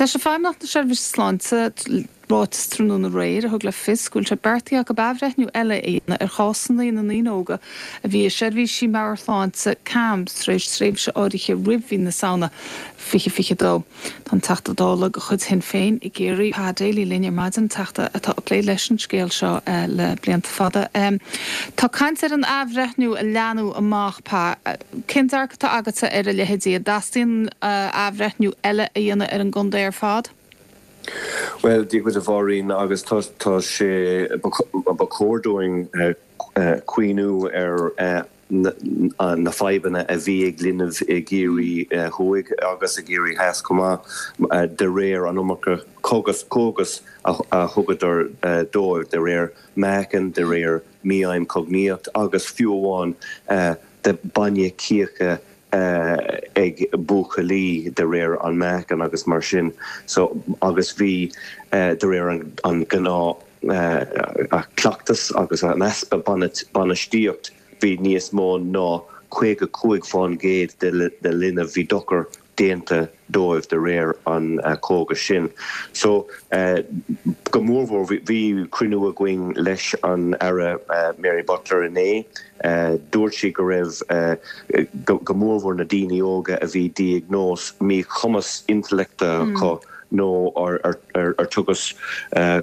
D'eisigh Feidhmeannacht na Seirbhíse Sláinte ráiteas tráthnóna aréir a thug le fios go bhfuil sé beartaithe acu athbhreithniú eile a dhéanamh ar chásanna na ndaoine óga a bhí i seirbhísí meabhairshláinte CAMHS tar éis tréimhse áirithe roimh mhí na Samhna 2022. Tá an Teachta Dála de chuid Shinn Féin i gCiarraí, Pa Daly linn ar maidin, Teachta atá ag plé leis an scéal seo le blianta fada. Tá caint ar an athbhreithniú a leathnú amach, Pa. Cén dearcadh atá agatsa ar a leithéidí? An dteastaíonn athbhreithniú eile a dhéanamh ar an gcontae ar fad? Bhuel, Dia dhuit a Mháirín, agus tá sé, ba chóir dúinn cuimhniú ar na fadhbanna a bhí ag linbh i gCiarraí Thuaidh agus i gCiarraí Theas chomh maith, de réir an iomarca cógas a thugadar dóibh, de réir meáchan, de réir mífheidhm cognaíocht agus fiú amháin de bainne cíocha ag buachaillí de réir an meáchan agus mar sin so agus bhí de réir an gnáth cleachtas agus an easpa bainistíocht bhí níos mó ná 55% de linbh bhí dochar déanta dóibh de réir an cógas sin. So, go mórmhór, bhí cruinniú againn leis an Aire Mary Butler inné. Dúirt sí go raibh, go mórmhór na daoine óga a bhí diagnóis míchumas intleachta acu nó ar tugadh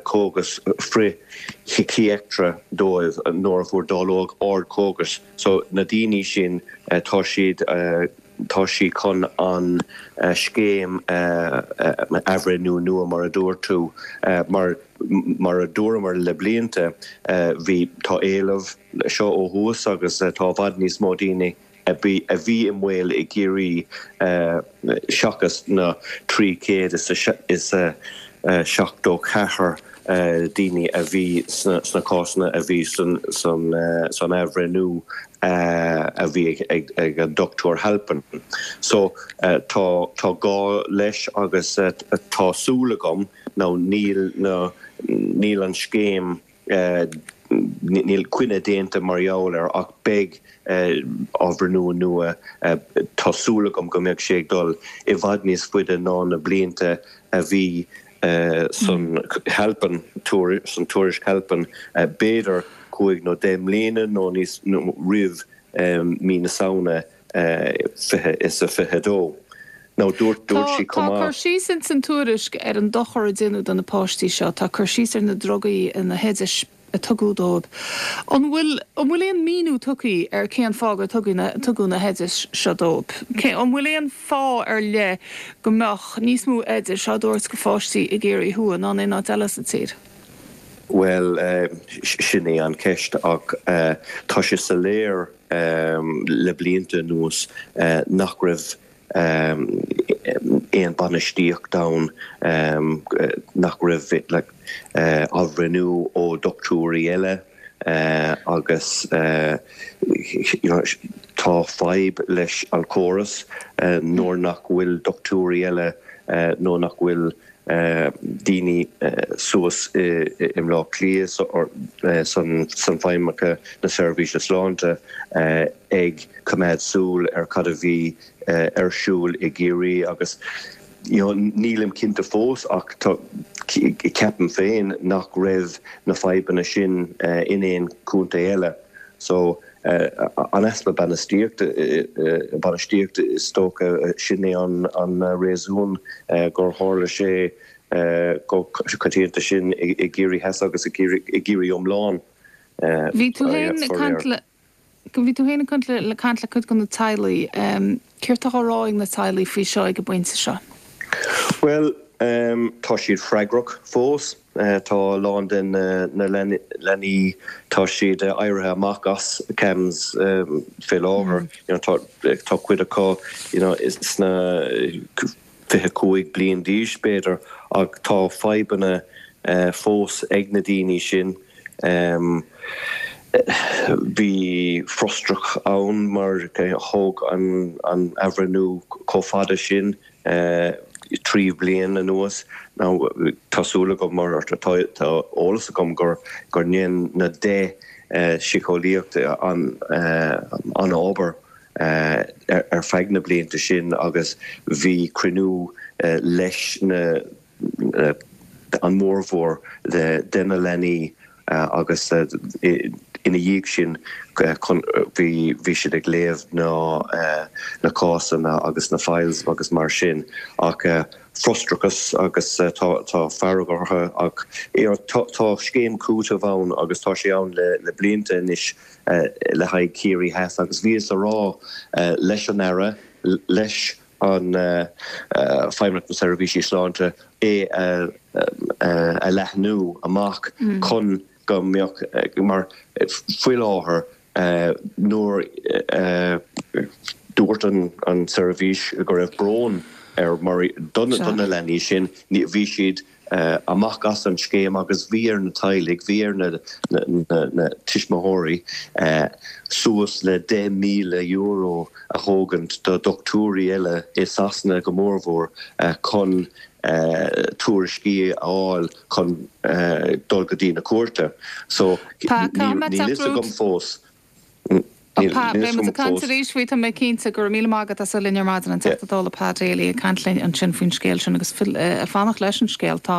cógas frith-shíciatrach dóibh nuair a fuair dáileog ard cógas. So, na daoine sin, tá siad. Tá sí chun an scéim athbhreithniú nua, mar a dúirt tú, mar mar a dúramar le blianta, bhí, tá éileamh seo ó thuas agus tá i bhfad níos mó daoine a bhí a bhí i mbaol i gCiarraí seachas na 374 daoine a bhí sna cásanna a bhí san athbhreithniú a bhí ag an Dr Halpin. So tá tá gá leis agus tá súil agam nó níl na níl an scéim níl coinne déanta mar gheall air ach beidh athbhreithniú nua tá súil agam go mbeidh sé ag dul i bhfad níos faide ná na blianta a bhí san Halpin, san tuairisc Halpin, b'fhéidir 5 nó 10 mbliana nó níos roimh mí na Samhna 2022. Nó dúirt dúirt sí chomh maith. Tá cur síos ins an tuairisc ar an dochar a déanadh do na páistí seo. Tá cur síos ar na drugaí, na hoidis a tugadh dóibh. An bhfuil, an bhfuil aon míniú tugtha ar cén fáth gur tugadh na, tugadh na hoidis seo dóibh? Cé, an bhfuil aon fáth ar leith go mbeadh níos mó oidis á dtabhairt go pháistí i gCiarraí Thuaidh ná in aon áit eile sa tír? Bhuel, sin é an cheist ach tá sé soiléir le blianta anuas nach raibh aon bainistíocht ann, nach raibh athbhreithniú ó dhochtúirí eile agus tá fadhb leis an chóras nuair nach bhfuil dochtúirí eile nó nach bhfuil daoine suas i mBleá Cliath san Feidhmeannacht na Seirbhíse Sláinte ag coimeád súil ar cad a bhí ar siúl i gCiarraí agus you know nílim cinnte fós ach tá ceapaim féin nach raibh na fadhbanna sin in aon chontae eile so an easpa bainistíochta bainistíochta is dócha sin é an réasún gur tharla sé chomh coitianta sin i gCiarraí Theas agus i gCiarraí iomlán. Bhí tú féin ag caint le Bhí tú féin ag caint le caint le cuid de na teaghlaigh. Céard atá á rá ag na teaghlaigh faoi seo ag an bpointe seo? Bhuel, tá siad freagrach fós. Tá a lán de na leanaí, tá siad éirithe amach as CAMHS fé láthair. Tá cuid acu sna 25 bliain d'aois, b'fhéidir, ach tá fadhbanna fós ag na daoine sin. Bhí frustrachas ann mar thóg an athbhreithniú chomh fada sin, 3 bliain anuas. Now tá súil agam mar tá eolas agam gur dhein na 10 síceolaíocht an-obair. ar feadh na blianta sin agus bhí cruinniú leis na an mórmhór de na leanaí agus ina dhiaidh sin bhí bhí siad ag léamh na na cásanna agus na files agus mar sin ach frustrachas agus tá tá fearg orthu ach tá tá scéim cúitimh ann agus tá sé ann le le blianta anois le haghaidh Ciarraí Theas agus bhíothas a rá leis an Aire leis an Feidhmeannacht na Seirbhísí Sláinte é a leathnú amach chun go mbeadh, mar faoi láthair nuair a dúirt an tseirbhís go raibh brón ar mar do na leanaí sin, bhí siad amach as an scéim agus bhí ar na teaghlaigh, bhí ar na tuismitheoirí suas le €10,000 a thógaint do dhochtúirí eile i Sasana go mórmhór chun tuairiscí a fháil chun dul go dtí na cúirte. So níl fhios agam fós. Pat, beidh muid ag caint arís faoi, tá mé cinnte. Go raibh míle maith agat as a bheith linn ar maidin, an Teachta Dála Pat Daly ag caint linn ansin faoin scéal sin agus ag fanacht leis an scéal. Tá.